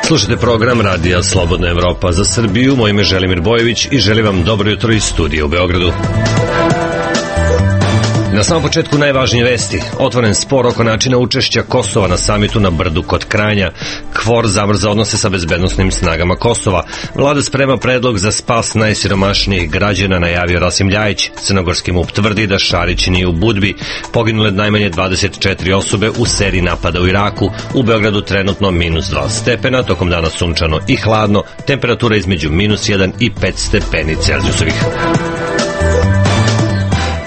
Slušajte program Radija Slobodna Evropa za Srbiju. Moje ime je Želimir Bojević i želim vam dobro jutro iz studija u Beogradu. Na samom početku najvažnije vesti. Otvoren spor oko načina učešća Kosova na samitu na Brdu kod Kranja. KFOR zamrza odnose sa bezbednosnim snagama Kosova. Vlada sprema predlog za spas najsiromašnijih građana, najavio Rasim Ljajić. Crnogorski MUP tvrdi da Šarić nije u Budvi. Poginule najmanje 24 osobe u seriji napada u Iraku. U Beogradu trenutno -2 stepena, tokom dana sunčano i hladno, temperatura između -1 i 5 stepeni Celzijusovih.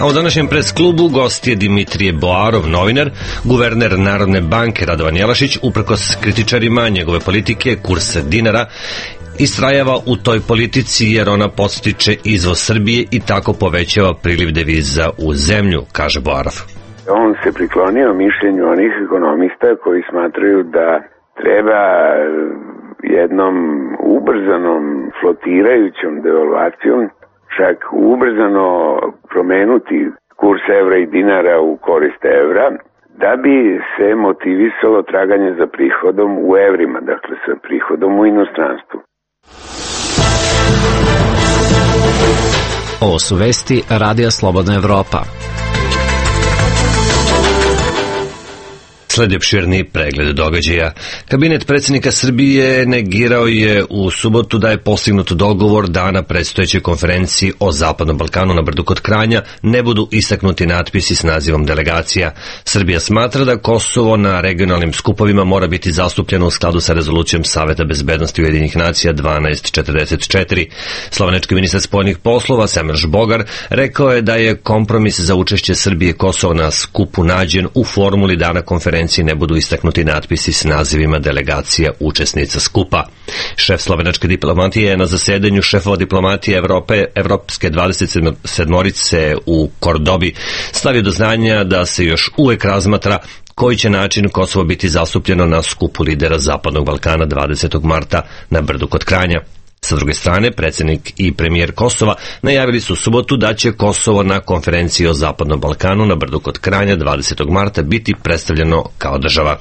A u današnjem pres klubu gost je Dimitrije Boarov, novinar, guverner Narodne banke Radovan Jelašić, uprkos kritičarima njegove politike, kurs dinara, istrajava u toj politici jer ona podstiče izvoz Srbije i tako povećava priliv deviza u zemlju, kaže Boarov. On se priklonio mišljenju onih ekonomista koji smatraju da treba jednom ubrzanom flotirajućom devalvacijom čak ubrzano promenuti kurs evra i dinara u korist evra, da bi se motivisalo traganje za prihodom u evrima, dakle sa prihodom u inostranstvu. Ovo su vesti Radija Slobodna Evropa. Sledi opširni pregled događaja. Kabinet predsjednika Srbije negirao je u subotu da je postignut dogovor da na predstojećoj konferenciji o Zapadnom Balkanu na Brdu kod Kranja ne budu istaknuti natpisi s nazivom delegacija. Srbija smatra da Kosovo na regionalnim skupovima mora biti zastupljeno u skladu sa rezolucijom Saveta bezbednosti Ujedinjenih nacija 1244. Slovenački ministar spoljnih poslova Semeš Bogar rekao je da je kompromis za učešće Srbije i Kosova na skupu nađen u formuli da na konferenciji ne budu istaknuti natpisi s nazivima delegacija učesnica skupa. Šef slovenačke diplomatije je na zasedanju šefova diplomatije Evropske 27-orice u Kordobi stavio do znanja da se još uvek razmatra koji će način Kosovo biti zastupljeno na skupu lidera Zapadnog Balkana 20. marta na Brdu kod Kranja. Sa druge strane, predsjednik i premijer Kosova najavili su u subotu da će Kosovo na konferenciji o Zapadnom Balkanu na Brdu kod Kranja 20. marta biti predstavljeno kao država.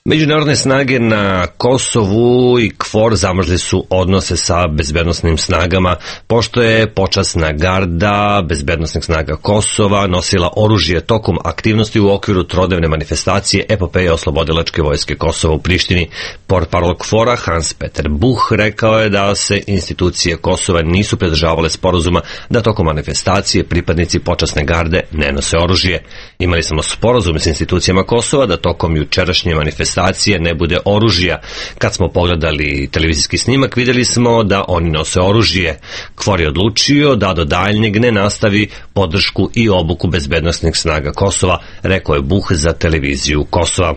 Međunarodne snage na Kosovu i KFOR zamrzli su odnose sa bezbednosnim snagama, pošto je počasna garda bezbednosnih snaga Kosova nosila oružje tokom aktivnosti u okviru trodnevne manifestacije epopeje oslobodilačke vojske Kosova u Prištini. Portparol KFOR-a Hans Peter Buch rekao je da se institucije Kosova nisu pridržavale sporazuma da tokom manifestacije pripadnici počasne garde ne nose oružje. Imali smo sporazum s institucijama Kosova da tokom jučerašnje manifestacije ne bude oružja. Kad smo pogledali televizijski snimak, vidjeli smo da oni nose oružje. KFOR je odlučio da do daljnjeg ne nastavi podršku i obuku bezbednosnih snaga Kosova, rekao je Buch za televiziju Kosova.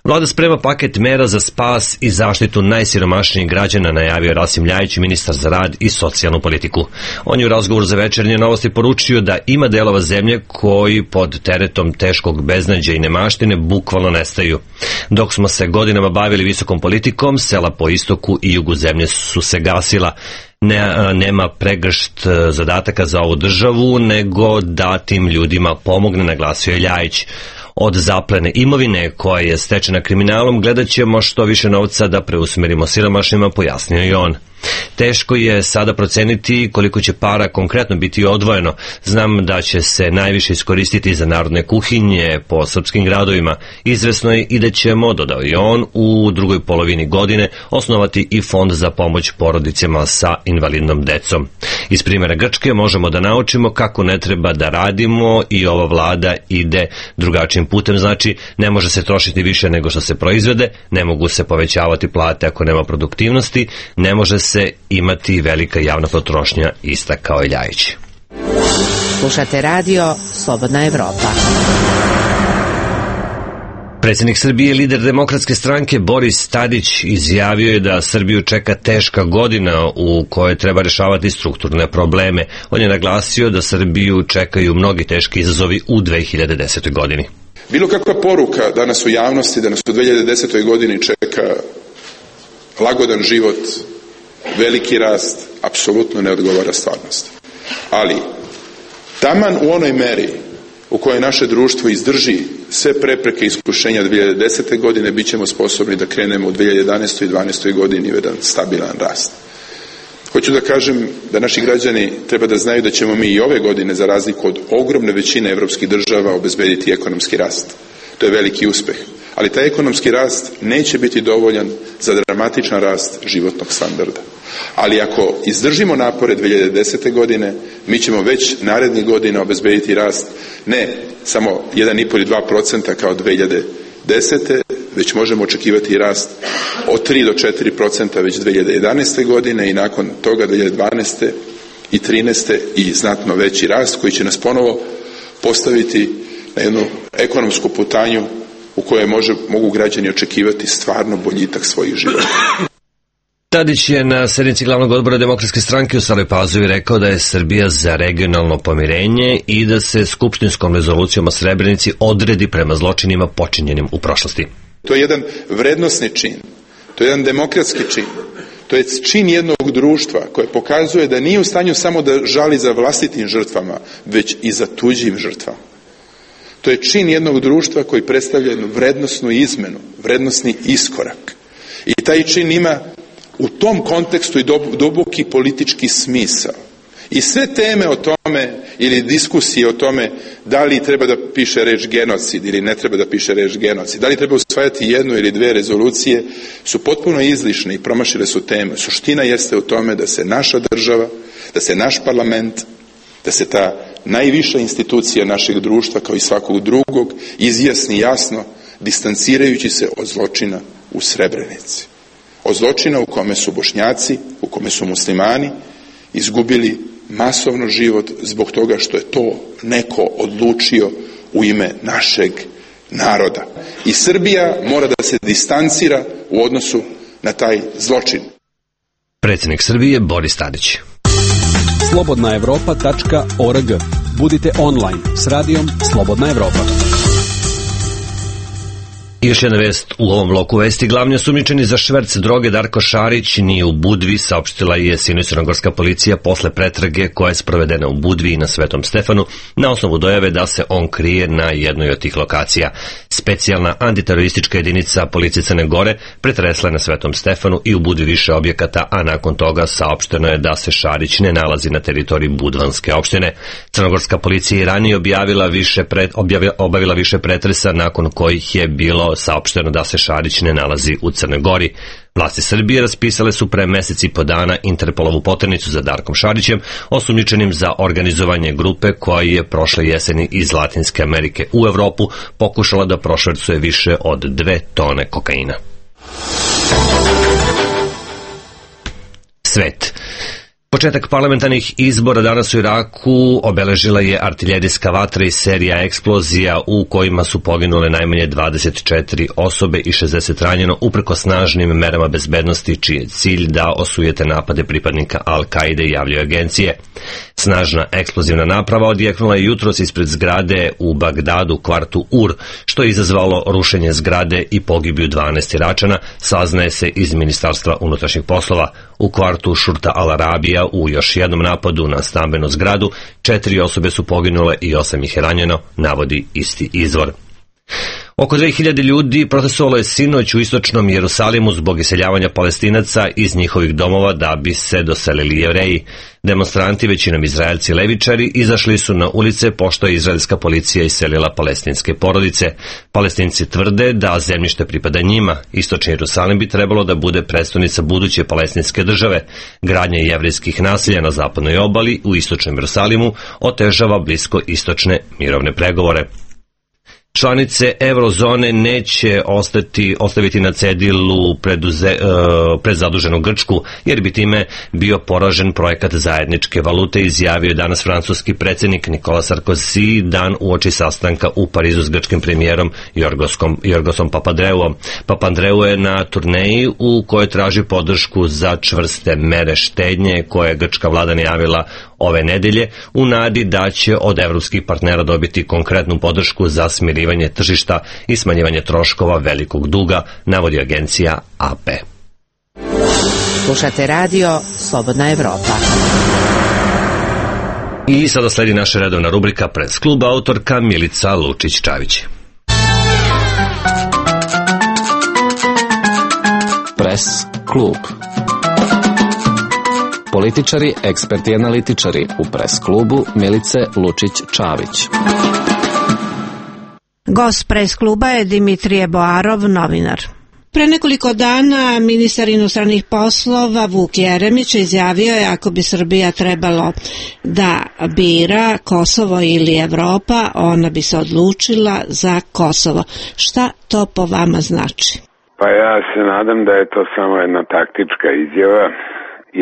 Vlada sprema paket mera za spas i zaštitu najsiromašnijih građana, najavio Rasim Ljajić, ministar za rad i socijalnu politiku. On je u razgovoru za Večernje novosti poručio da ima delova zemlje koji pod teretom teškog beznađa i nemaštine bukvalno nestaju. Dok smo se godinama bavili visokom politikom, sela po istoku i jugu zemlje su se gasila. Nema pregršt zadataka za ovu državu, nego da tim ljudima pomogne, naglasio je Ljajić. Od zaplene imovine koja je stečena kriminalom gledat ćemo što više novca da preusmerimo siromašnima, pojasnio je on. Teško je sada proceniti koliko će para konkretno biti odvojeno. Znam da će se najviše iskoristiti za narodne kuhinje po srpskim gradovima. Izvesno je i da ćemo, dodao je on, u drugoj polovini godine osnovati i fond za pomoć porodicama sa invalidnom decom. Iz primjera Grčke možemo da naučimo kako ne treba da radimo i ova vlada ide drugačijim putem, znači ne može se trošiti više nego što se proizvede, ne mogu se povećavati plate ako nema produktivnosti, ne može se imati velika javna potrošnja, istakao je Ljajić. Slušate radio Slobodna Evropa. Predsjednik Srbije, lider Demokratske stranke Boris Tadić izjavio je da Srbiju čeka teška godina u kojoj treba rešavati strukturne probleme. On je naglasio da Srbiju čekaju mnogi teški izazovi u 2010. godini. Bilo kakva poruka danas u javnosti da nas u 2010. godini čeka lagodan život, veliki rast, apsolutno ne odgovara stvarnosti. Ali, taman u onoj meri u kojoj naše društvo izdrži sve prepreke iskušenja 2010. godine, bit ćemo sposobni da krenemo u 2011. i 2012. godini u jedan stabilan rast. Hoću da kažem da naši građani treba da znaju da ćemo mi i ove godine, za razliku od ogromne većine evropskih država, obezbediti ekonomski rast. To je veliki uspeh. Ali taj ekonomski rast neće biti dovoljan za dramatičan rast životnog standarda. Ali ako izdržimo napore 2010. godine, mi ćemo već narednih godina obezbediti rast ne samo 1,5 ili 2% kao 2010. već možemo očekivati rast od 3 do 4% već 2011. godine i nakon toga 2012. i 2013. i znatno veći rast koji će nas ponovo postaviti na jednu ekonomsku putanju u kojoj mogu građani očekivati stvarno boljitak svojih života. Tadić je na sednici glavnog odbora Demokratske stranke u Staroj Pazovi rekao da je Srbija za regionalno pomirenje i da se skupštinskom rezolucijom o Srebrenici odredi prema zločinima počinjenim u prošlosti. To je jedan vrednosni čin, to je jedan demokratski čin, to je čin jednog društva koje pokazuje da nije u stanju samo da žali za vlastitim žrtvama, već i za tuđim žrtvama. To je čin jednog društva koji predstavlja jednu vrednosnu izmenu, vrednosni iskorak. I taj čin ima u tom kontekstu i duboki politički smisao. I sve teme o tome ili diskusije o tome da li treba da piše reč genocid ili ne treba da piše reč genocid, da li treba usvajati jednu ili dve rezolucije, su potpuno izlišne i promašile su teme. Suština jeste u tome da se naša država, da se naš parlament, da se ta najviša institucija našeg društva kao i svakog drugog izjasni jasno, distancirajući se od zločina u Srebrenici. Od zločina u kome su Bošnjaci, u kome su muslimani izgubili masovno život zbog toga što je to neko odlučio u ime našeg naroda. I Srbija mora da se distancira u odnosu na taj zločin. Predsjednik Srbije Boris Tadić. Slobodnaevropa.org. Budite online s radijom Slobodna Evropa. I još jedna vest u ovom bloku vesti. Glavni osumnjičeni za šverc droge Darko Šarić nije u Budvi, saopštila je sinoć crnogorska policija posle pretrage koja je sprovedena u Budvi i na Svetom Stefanu na osnovu dojave da se on krije na jednoj od tih lokacija. Specijalna antiteroristička jedinica policije Crne Gore pretresla je na Svetom Stefanu i u Budvi više objekata, a nakon toga saopšteno je da se Šarić ne nalazi na teritoriji Budvanske opštine. Crnogorska policija je ranije obavila više pretresa nakon kojih je bilo saopšteno da se Šarić ne nalazi u Crnoj Gori. Vlasti Srbije raspisale su pre mesec i po dana Interpolovu poternicu za Darkom Šarićem, osumnjičenim za organizovanje grupe koja je prošle jeseni iz Latinske Amerike u Evropu pokušala da prošvercuje više od 2 tone kokaina. Svet. Početak parlamentarnih izbora danas u Iraku obeležila je artiljerijska vatra i serija eksplozija u kojima su poginule najmanje 24 osobe i 60 ranjeno upreko snažnim merama bezbednosti čiji je cilj da osujete napade pripadnika Al-Kaide, javljaju agencije. Snažna eksplozivna naprava odjeknula je jutros ispred zgrade u Bagdadu, kvartu Ur, što je izazvalo rušenje zgrade i pogibiju 12 Iračana, saznaje se iz Ministarstva unutrašnjih poslova. U kvartu Šurta Al-Arabija u još jednom napadu na stambenu zgradu 4 osobe su poginule i 8 ih je ranjeno, navodi isti izvor. Oko 2000 ljudi protestovalo je sinoć u istočnom Jerusalimu zbog iseljavanja Palestinaca iz njihovih domova da bi se doselili Jevreji. Demonstranti, većinom Izraelci levičari, izašli su na ulice pošto je izraelska policija iselila palestinske porodice. Palestinci tvrde da zemljište pripada njima. Istočni Jerusalim bi trebalo da bude prestonica buduće palestinske države. Gradnja jevrejskih naselja na zapadnoj obali u istočnom Jerusalimu otežava blisko istočne mirovne pregovore. Članice eurozone neće ostaviti na cedilu predzaduženu Grčku, jer bi time bio poražen projekat zajedničke valute, izjavio je danas francuski predsjednik Nicolas Sarkozy dan uoči sastanka u Parizu s grčkim premijerom Jorgosom Papandreouom. Papandreou je na turneji u kojoj traži podršku za čvrste mere štednje koje je grčka vlada najavila ove nedelje u nadi da će od evropskih partnera dobiti konkretnu podršku za smirivanje tržišta i smanjivanje troškova velikog duga, navodi agencija AP. Slušate radio Slobodna Evropa. I sada sledi naša redovna rubrika Press klub, autorka Milica Lučić-Čavić. Press klub. Političari, eksperti i analitičari u Press klubu Milice Lučić-Čavić. Gost Press kluba je Dimitrije Boarov, novinar. Pre nekoliko dana ministar inostranih poslova Vuk Jeremić izjavio je ako bi Srbija trebalo da bira Kosovo ili Evropa, ona bi se odlučila za Kosovo. Šta to po vama znači? Pa ja se nadam da je to samo jedna taktička izjava,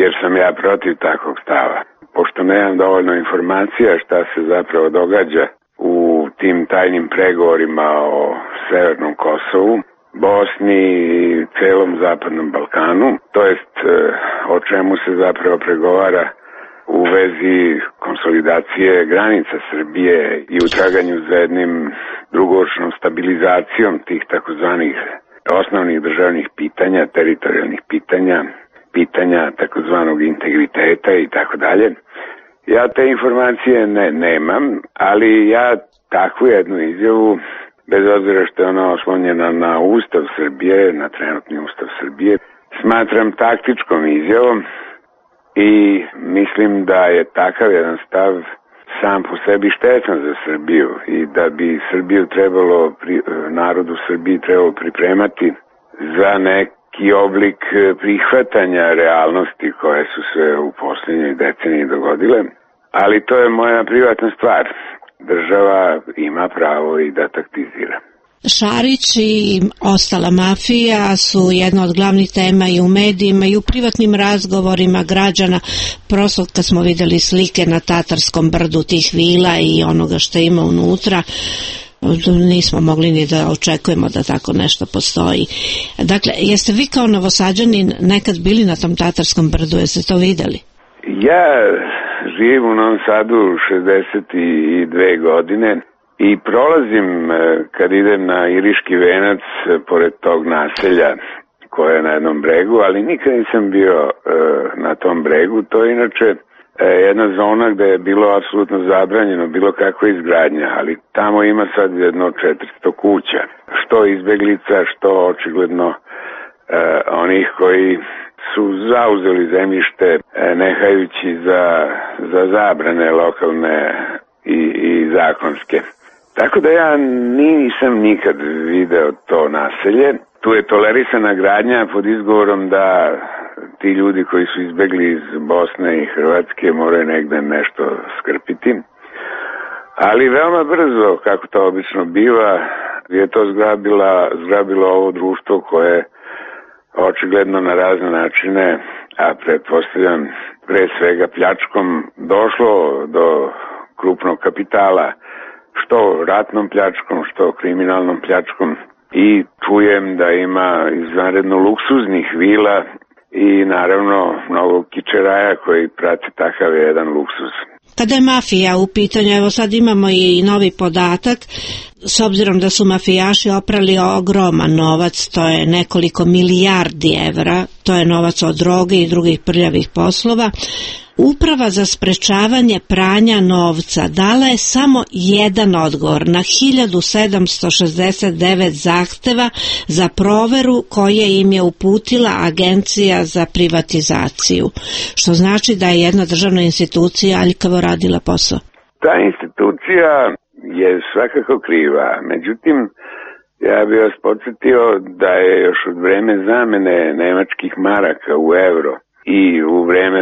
jer sam ja protiv takvog stava. Pošto nemam dovoljno informacija šta se zapravo događa u tim tajnim pregovorima o Severnom Kosovu, Bosni i celom Zapadnom Balkanu, to jest o čemu se zapravo pregovara u vezi konsolidacije granica Srbije i u traganju za jednim dugoročnom stabilizacijom tih takozvanih osnovnih državnih pitanja, teritorijalnih pitanja, pitanja takozvanog integriteta i tako dalje. Ja te informacije nemam, ali ja takvu jednu izjavu, bez obzira što je ona oslonjena na Ustav Srbije, na trenutni Ustav Srbije, smatram taktičkom izjavom i mislim da je takav jedan stav sam po sebi štetan za Srbiju i da bi Srbiju trebalo, narodu Srbiji trebalo pripremati za neki oblik prihvatanja realnosti koje su se u posljednjoj deceniji dogodile, ali to je moja privatna stvar. Država ima pravo i da taktizira. Šarić i ostala mafija su jedna od glavnih tema i u medijima i u privatnim razgovorima građana. Prosto kad smo videli slike na Tatarskom brdu tih vila i onoga što ima unutra, nismo mogli ni da očekujemo da tako nešto postoji. Dakle, jeste vi kao Novosađanin nekad bili na tom Tatarskom brdu, jeste to videli? Ja živim u Novom Sadu 62 godine i prolazim kad idem na Iriški venac pored tog naselja koje je na jednom bregu, ali nikad nisam bio na tom bregu. To je inače jedna zona gde je bilo apsolutno zabranjeno bilo kakva izgradnja, ali tamo ima sad jedno 400 kuća, što izbeglica, što očigledno onih koji su zauzeli zemljište nehajući za zabrane lokalne i zakonske. Tako da ja nisam nikad video to naselje. Tu je tolerisana gradnja pod izgovorom da ti ljudi koji su izbegli iz Bosne i Hrvatske moraju negde nešto skrpiti. Ali veoma brzo, kako to obično biva, je to zgrabilo ovo društvo koje očigledno na razne načine, a pretpostavljam pre svega pljačkom, došlo do krupnog kapitala, što ratnom pljačkom, što kriminalnom pljačkom, i čujem da ima izvanredno luksuznih vila i naravno mnogo kičeraja koji prati takav jedan luksuz. Kada je mafija u pitanju, evo sad imamo i novi podatak, s obzirom da su mafijaši oprali ogroman novac, to je nekoliko milijardi evra, to je novac od droge i drugih prljavih poslova, Uprava za sprečavanje pranja novca dala je samo jedan odgovor na 1769 zahteva za proveru koje im je uputila Agencija za privatizaciju, što znači da je jedna državna institucija aljkavo radila posao. Ta institucija je svakako kriva, međutim, ja bih vas podsjetio da je još od vreme zamene nemačkih maraka u euro i u vreme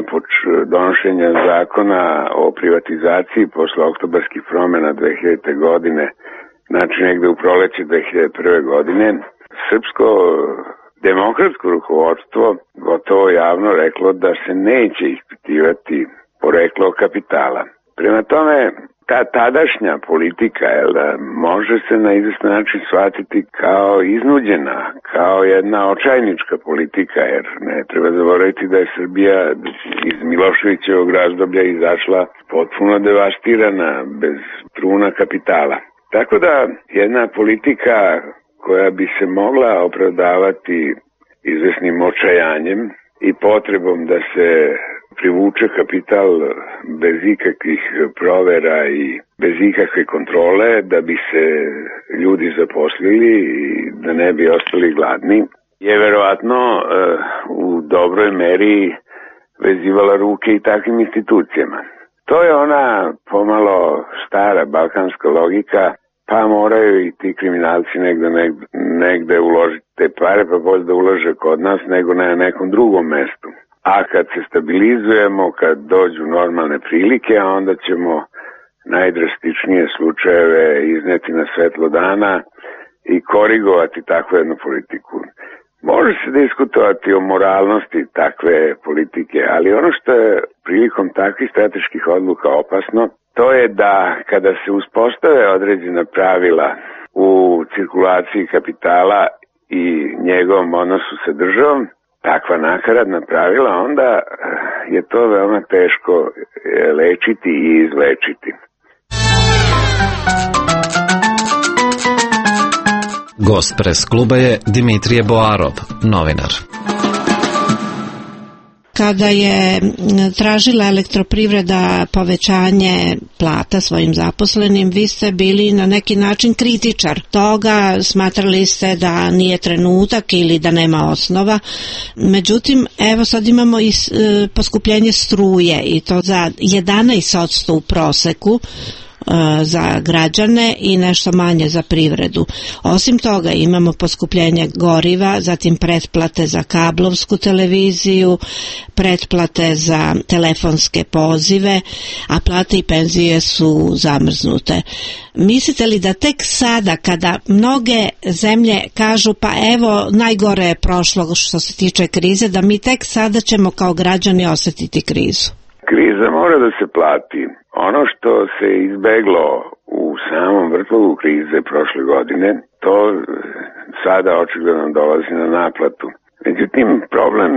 donošenja zakona o privatizaciji posle oktobarskih promjena 2000. godine, znači negde u proleće 2001. godine, srpsko demokratsko rukovodstvo gotovo javno reklo da se neće ispitivati poreklo kapitala. Prema tome, ta tadašnja politika može se na izvestan način shvatiti kao iznuđena, kao jedna očajnička politika, jer ne treba zaboraviti da je Srbija iz Miloševićevog razdoblja izašla potpuno devastirana, bez truna kapitala. Tako da jedna politika koja bi se mogla opravdavati izvesnim očajanjem i potrebom da se privuče kapital bez ikakvih provera i bez ikakve kontrole da bi se ljudi zaposlili i da ne bi ostali gladni, je verovatno u dobroj meri vezivala ruke i takvim institucijama. To je ona pomalo stara balkanska logika, pa moraju i ti kriminalci negde uložiti te pare, pa bolje da ulože kod nas nego na nekom drugom mestu. A kad se stabilizujemo, kad dođu normalne prilike, onda ćemo najdrastičnije slučajeve izneti na svetlo dana i korigovati takvu jednu politiku. Može se diskutovati o moralnosti takve politike, ali ono što je prilikom takvih strateških odluka opasno, to je da kada se uspostave određena pravila u cirkulaciji kapitala i njegovom odnosu sa državom, takva nakaradna pravila, onda je to veoma teško lečiti i izlečiti. Gost Pres kluba je Dimitrije Boarov, novinar. Kada je tražila Elektroprivreda povećanje plata svojim zaposlenim, vi ste bili na neki način kritičar toga, smatrali ste da nije trenutak ili da nema osnova. Međutim, evo sad imamo i poskupljenje struje i to za 11% u proseku za građane i nešto manje za privredu. Osim toga imamo poskupljenje goriva, zatim pretplate za kablovsku televiziju, pretplate za telefonske pozive, a plate i penzije su zamrznute. Mislite li da tek sada, kada mnoge zemlje kažu pa evo najgore je prošlo što se tiče krize, da mi tek sada ćemo kao građani osjetiti krizu? Kriza mora da se plati. Ono što se izbeglo u samom vrtlogu krize prošle godine, to sada očigledno dolazi na naplatu. Međutim, problem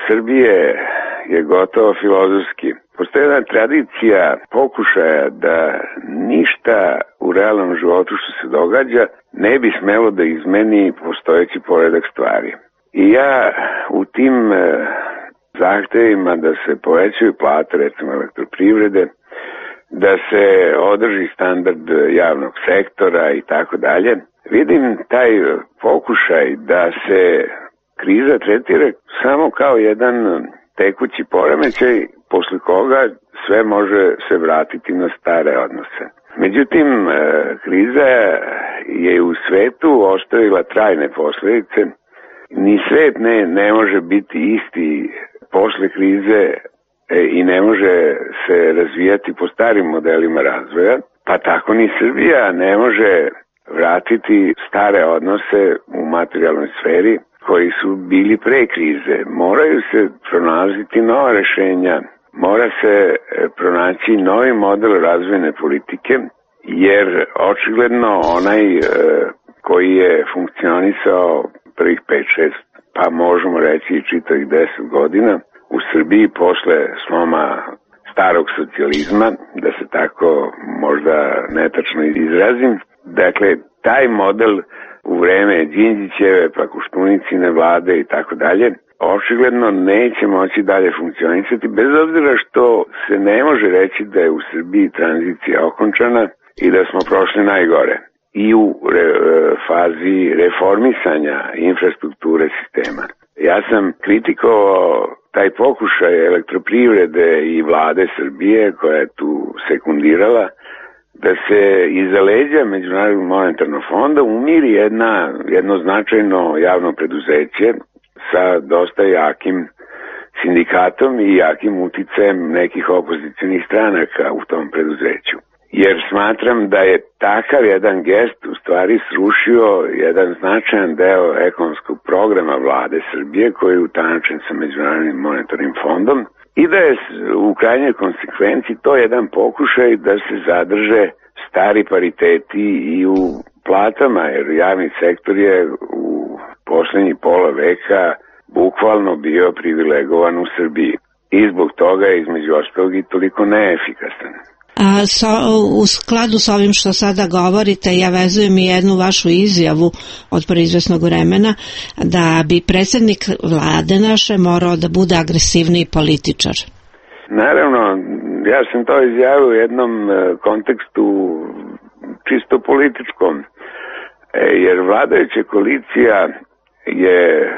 Srbije je gotovo filozofski. Postoji jedna tradicija pokušaja da ništa u realnom životu što se događa ne bi smelo da izmeni postojeći poredak stvari. I ja u tim zahtevima da se povećaju plate, recimo Elektroprivrede, da se održi standard javnog sektora i tako dalje, vidim taj pokušaj da se kriza tretira samo kao jedan tekući poremećaj posle koga sve može se vratiti na stare odnose. Međutim, kriza je u svetu ostavila trajne posledice. Ni svet ne može biti isti posle krize i ne može se razvijati po starim modelima razvoja, pa tako ni Srbija ne može vratiti stare odnose u materijalnoj sferi koji su bili pre krize. Moraju se pronalaziti nova rešenja, mora se pronaći novi model razvojne politike, jer očigledno onaj koji je funkcionisao prvih 5-6, pa možemo reći i čitavih 10 godina, u Srbiji posle sloma starog socijalizma, da se tako možda netačno izrazim. Dakle, taj model u vreme Đinđićeve, pa Koštunicine vlade i tako dalje, očigledno neće moći dalje funkcionisati, bez obzira što se ne može reći da je u Srbiji tranzicija okončana i da smo prošli najgore. I u fazi reformisanja infrastrukture sistema. Ja sam kritikovao taj pokušaj Elektroprivrede i vlade Srbije, koja je tu sekundirala, da se iza leđa Međunarodnog monetarnog fonda umiri jedno značajno javno preduzeće sa dosta jakim sindikatom i jakim uticajem nekih opozicionih stranaka u tom preduzeću. Jer smatram da je takav jedan gest u stvari srušio jedan značajan deo ekonomskog programa vlade Srbije koji je utanačen sa Međunarodnim monetarnim fondom i da je u krajnjoj konsekvenciji to jedan pokušaj da se zadrže stari pariteti i u platama, jer javni sektor je u poslednjih pola veka bukvalno bio privilegovan u Srbiji i zbog toga je između ostalog i toliko neefikasan. U skladu s ovim što sada govorite, ja vezujem i jednu vašu izjavu od proizvesnog vremena da bi predsjednik vlade naše morao da bude agresivniji političar. Naravno, ja sam to izjavio u jednom kontekstu čisto političkom, jer vladajuća koalicija je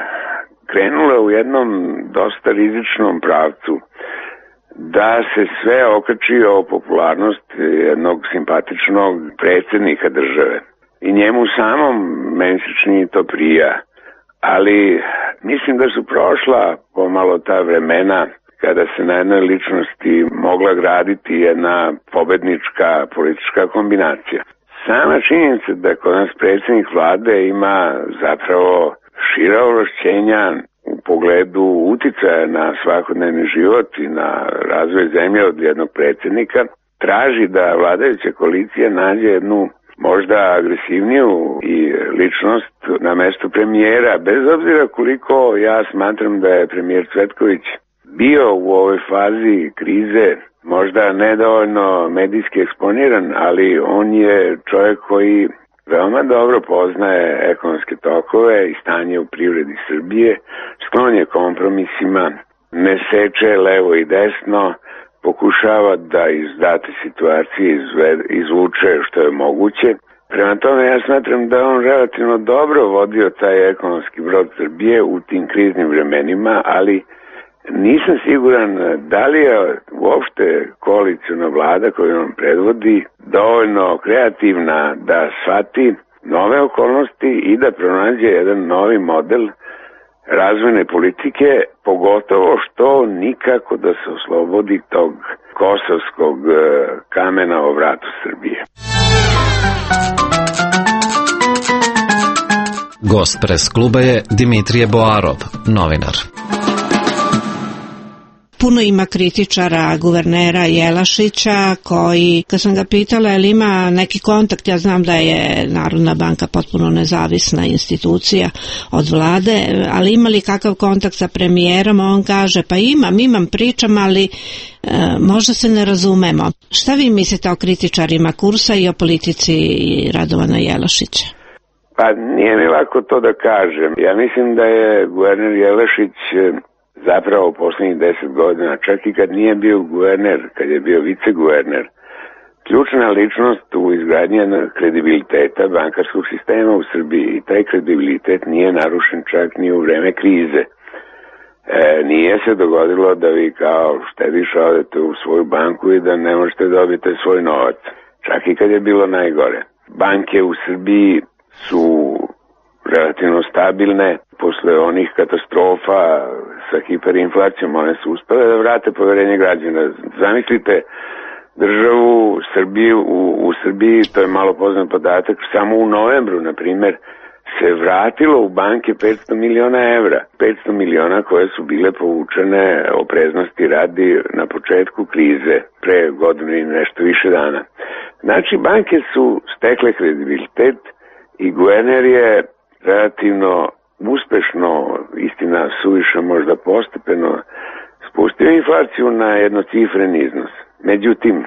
krenula u jednom dosta rizičnom pravcu da se sve okači o popularnost jednog simpatičnog predsjednika države. I njemu samom meni se čini to prija. Ali mislim da su prošla pomalo ta vremena kada se na jednoj ličnosti mogla graditi jedna pobednička politička kombinacija. Sama činjenica da kod nas predsjednik vlade ima zapravo šira ovlašćenja u pogledu uticaja na svakodnevni život i na razvoj zemlje od jednog predsjednika, traži da vladajuća koalicija nađe jednu možda agresivniju i ličnost na mestu premijera, bez obzira koliko ja smatram da je premijer Cvetković bio u ovoj fazi krize možda nedovoljno medijski eksponiran, ali on je čovjek koji veoma dobro poznaje ekonomske tokove i stanje u privredi Srbije, sklon je kompromisima, ne seče levo i desno, pokušava da iz date situacije izvuče što je moguće. Prema tome ja smatram da on relativno dobro vodio taj ekonomski brod Srbije u tim kriznim vremenima, ali nisam siguran da li je uopšte koalicijna vlada koju on predvodi dovoljno kreativna da shvati nove okolnosti i da pronađe jedan novi model razvojne politike, pogotovo što nikako da se oslobodi tog kosovskog kamena o vratu Srbije. Gost pres kluba je Dimitrije Boarov, novinar. Puno ima kritičara guvernera Jelašića koji, kad sam ga pitala je li ima neki kontakt, ja znam da je Narodna banka potpuno nezavisna institucija od vlade, ali ima li kakav kontakt sa premijerom, on kaže pa imam pričam, ali možda se ne razumemo. Šta vi mislite o kritičarima kursa i o politici Radovana Jelašića? Pa nije mi lako to da kažem. Ja mislim da je guverner Jelašić zapravo poslednjih 10 godina, čak i kad nije bio guverner, kad je bio viceguverner, ključna ličnost u izgradnji kredibiliteta bankarskog sistema u Srbiji. I taj kredibilitet nije narušen čak ni u vreme krize. Nije se dogodilo da vi kao štediš odete u svoju banku i da ne možete dobiti svoj novac. Čak i kad je bilo najgore. Banke u Srbiji su relativno stabilne. Posle onih katastrofa sa hiperinflacijom, one su uspele da vrate poverenje građana. Zamislite državu Srbiju, u Srbiji, to je malo poznat podatak, samo u novembru, na primjer, se vratilo u banke 500 miliona evra. 500 miliona koje su bile povučene opreznosti radi na početku krize, pre godinu i nešto više dana. Znači, banke su stekle kredibilitet i guverner je relativno uspešno, istina suviše možda postepeno, spustio inflaciju na jednocifren iznos. Međutim,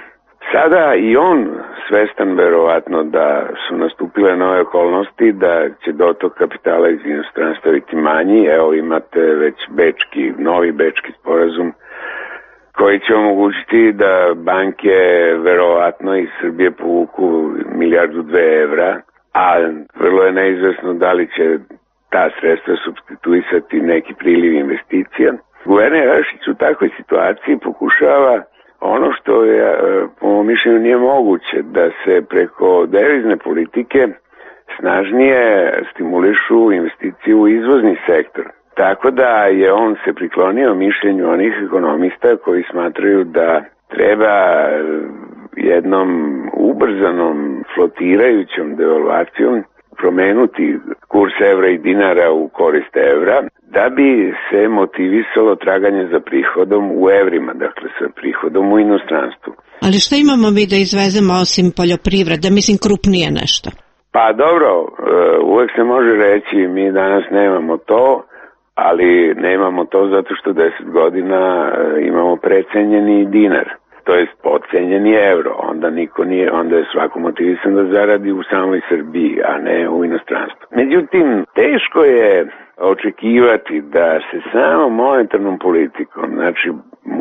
sada i on svestan verovatno da su nastupile nove okolnosti, da će dotok kapitala iz inostranstva biti manji. Evo imate već novi bečki sporazum koji će omogućiti da banke verovatno iz Srbije povuku 1,2 milijarde evra, a vrlo je neizvesno da li će ta sredstva supstituisati neki priliv investicija. Guverner Jelašić u takvoj situaciji pokušava ono što je, po mom mišljenju, nije moguće, da se preko devizne politike snažnije stimulišu investicije u izvozni sektor. Tako da je on se priklonio mišljenju onih ekonomista koji smatraju da treba jednom ubrzanom flotirajućom devalvacijom promenuti kurs evra i dinara u korist evra, da bi se motivisalo traganje za prihodom u evrima, dakle sa prihodom u inostranstvu. Ali šta imamo mi da izvezemo osim poljoprivrede, mislim krupnije nešto? Pa dobro, uvek se može reći mi danas nemamo to, ali nemamo to zato što 10 godina imamo precenjeni dinar. To je podcenjeni evro, onda je svako motivisan da zaradi u samoj Srbiji, a ne u inostranstvu. Međutim, teško je očekivati da se samo monetarnom politikom, znači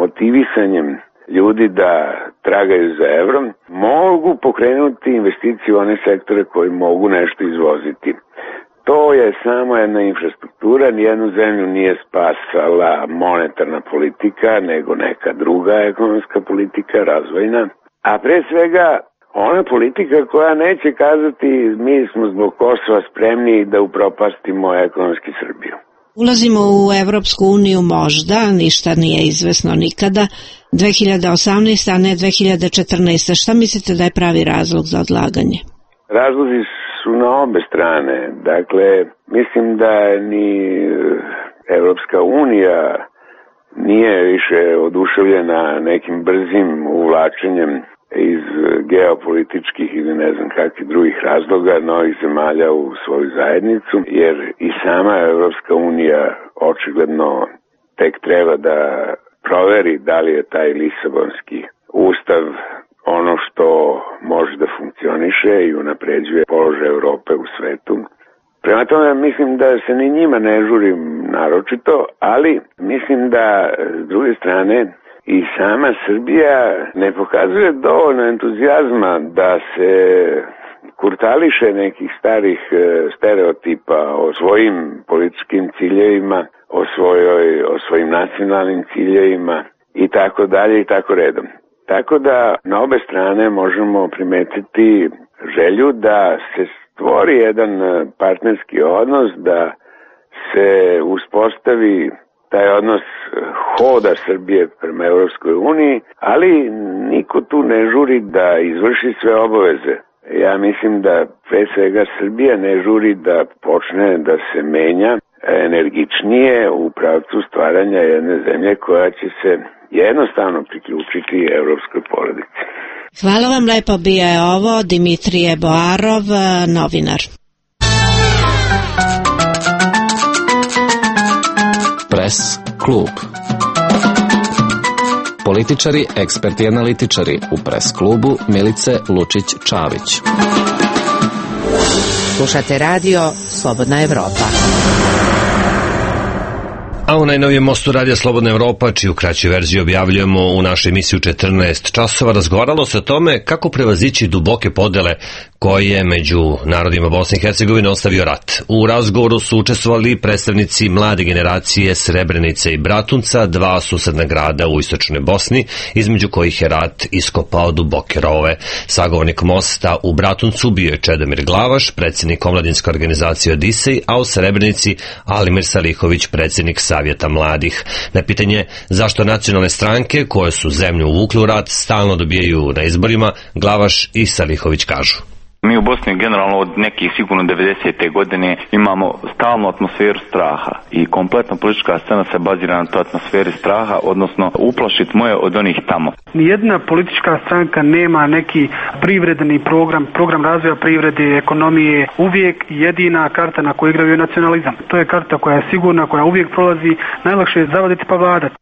motivisanjem ljudi da tragaju za evrom, mogu pokrenuti investicije u one sektore koji mogu nešto izvoziti. To je samo jedna infrastruktura, nijednu zemlju nije spasala monetarna politika, nego neka druga ekonomska politika, razvojna. A pre svega ona politika koja neće kazati mi smo zbog Kosova spremni da upropastimo ekonomski Srbiju. Ulazimo u Evropsku uniju možda, ništa nije izvesno nikada, 2018. a ne 2014. Šta mislite da je pravi razlog za odlaganje? Razlozi su na obe strane. Dakle, mislim da ni Evropska unija nije više oduševljena nekim brzim uvlačenjem iz geopolitičkih ili ne znam kakvih drugih razloga novih zemalja u svoju zajednicu, jer i sama Evropska unija očigledno tek treba da proveri da li je taj Lisabonski ustav ono što može da funkcioniše i unapređuje položaj Evrope u svetu. Prema tome mislim da se ni njima ne žurim naročito, ali mislim da s druge strane i sama Srbija ne pokazuje dovoljno entuzijazma da se kurtališe nekih starih stereotipa o svojim političkim ciljevima, o svojim nacionalnim ciljevima i tako dalje i tako redom. Tako da na obe strane možemo primetiti želju da se stvori jedan partnerski odnos, da se uspostavi taj odnos hoda Srbije prema Evropskoj uniji, ali niko tu ne žuri da izvrši sve obaveze. Ja mislim da pre svega Srbija ne žuri da počne da se menja energičnije u pravcu stvaranja jedne zemlje koja će se jednostavno priključiti evropskoj porodici. Hvala vam lepo, bio je ovo Dimitrije Boarov, novinar. Press klub. Političari, eksperti i analitičari u Press klubu Milice Lučić-Čavić. Slušate radio Slobodna Evropa. A u najnovijem mostu radija Slobodna Evropa, čiju kraću verziju objavljujemo u našoj emisiji u 14 časova, razgovaralo se o tome kako prevazići duboke podele koje među narodima Bosne i Hercegovine ostavio rat. U razgovoru su učestvovali predstavnici mlade generacije Srebrenice i Bratunca, dva susedna grada u istočnoj Bosni, između kojih je rat iskopao duboke rovove. Sagovornik mosta u Bratuncu bio je Čedomir Glavaš, predsjednik omladinske organizacije Odisej, a u Srebrenici Alimir Salihović, predsjednik Savjeta mladih. Na pitanje zašto nacionalne stranke koje su zemlju uvukli u rat stalno dobijaju na izborima, Glavaš i Salihović kažu. Mi u Bosni generalno od nekih sigurno 90. godine imamo stalnu atmosferu straha i kompletna politička scena se bazira na toj atmosferi straha, odnosno uplašit moje od onih tamo. Nijedna politička stranka nema neki privredni program razvoja privrede, ekonomije, uvijek jedina karta na kojoj igraju je nacionalizam. To je karta koja je sigurna, koja uvijek prolazi, najlakše je zavaditi pa vladati.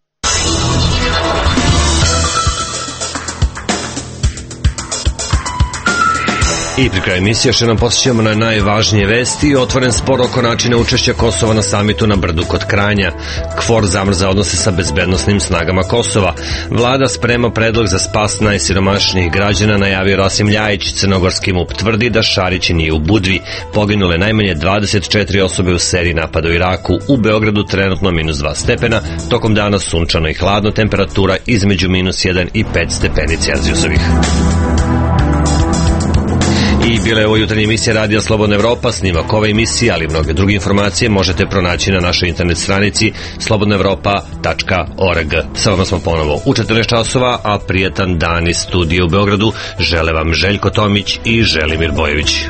I pri kraju emisije što nam posjećamo na najvažnije vesti. Otvoren spor oko načina učešća Kosova na samitu na Brdu kod Kranja. KFOR zamrza odnose sa bezbednosnim snagama Kosova. Vlada sprema predlog za spas najsiromašnijih građana, najavio Rasim Ljajić. Crnogorski MUP tvrdi da Šarić nije u Budvi. Poginule najmanje 24 osobe u seriji napada u Iraku. U Beogradu trenutno -2 stepena. Tokom dana sunčano i hladno, temperatura između -1 i 5 stepeni Celzijusovih. I bila je ovo jutarnja emisija radija Slobodna Evropa. Snimak ove emisije, ali i mnoge druge informacije možete pronaći na našoj internet stranici slobodnaevropa.org. Sa vama smo ponovo u 14 časova, a prijetan dan iz studija u Beogradu žele vam Željko Tomić i Želimir Bojević.